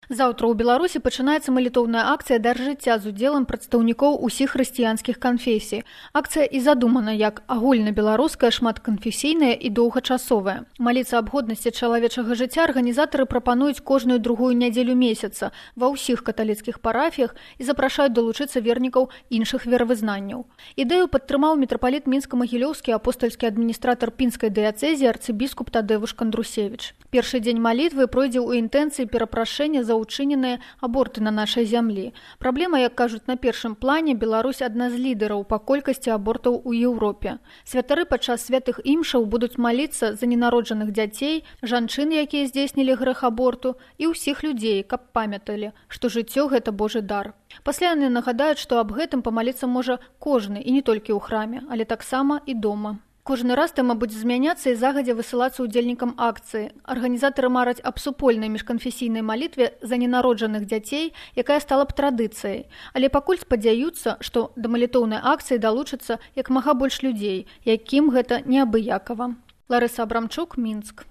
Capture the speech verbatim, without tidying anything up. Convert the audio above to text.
Заўтра ў Беларусі пачынаецца малітоўная акцыя «Дар жыцця» з удзелам прадстаўнікоў усіх хрысціянскіх канфесій. Акцыя і задумана як агульнабеларуская, шматканфесійная і доўгачасовая. Маліцца аб годнасці чалавечага жыцця арганізатары прапануюць кожную другую нядзелю месяца ва ўсіх каталіцкіх парафіях і запрашаюць далучыцца вернікаў іншых веравызнанняў. Ідэю падтрымаў мітрапаліт мінска-магілёўскі апостальскі адміністратар пінскай дыяцэзіі арцыбіскуп Тадэвуш Кандрусевіч. Першы дзень малітвы пройдзе ў інтэнцыі перапрашэння за учыненыя аборты на нашай зямлі. Праблема, як кажуць на першым плане, Беларусь адна з лідараў па колькасці абортаў у Еўропе. Святары падчас святых імшаў будуць маліцца за ненароджаных дзяцей, жанчын, якія здзейснілі грэх аборту, і ўсіх людзей, каб памяталі, што жыццё – гэта Божы дар. Пасля яны нагадаюць, што аб гэтым памаліцца можа кожны, і не толькі ў храме, але таксама і дома. Кожны раз тэма будзе змяняцца і загадзя высылацца ўдзельнікам акцыі. Арганізатары мараць аб супольнай міжканфесійнай малітве за ненароджаных дзяцей, якая стала б традыцыяй. Але пакуль спадзяюцца, што да малітоўнай акцыі далучыцца як мага больш людзей, якім гэта неабыякава. Ларыса Абрамчук, Мінск.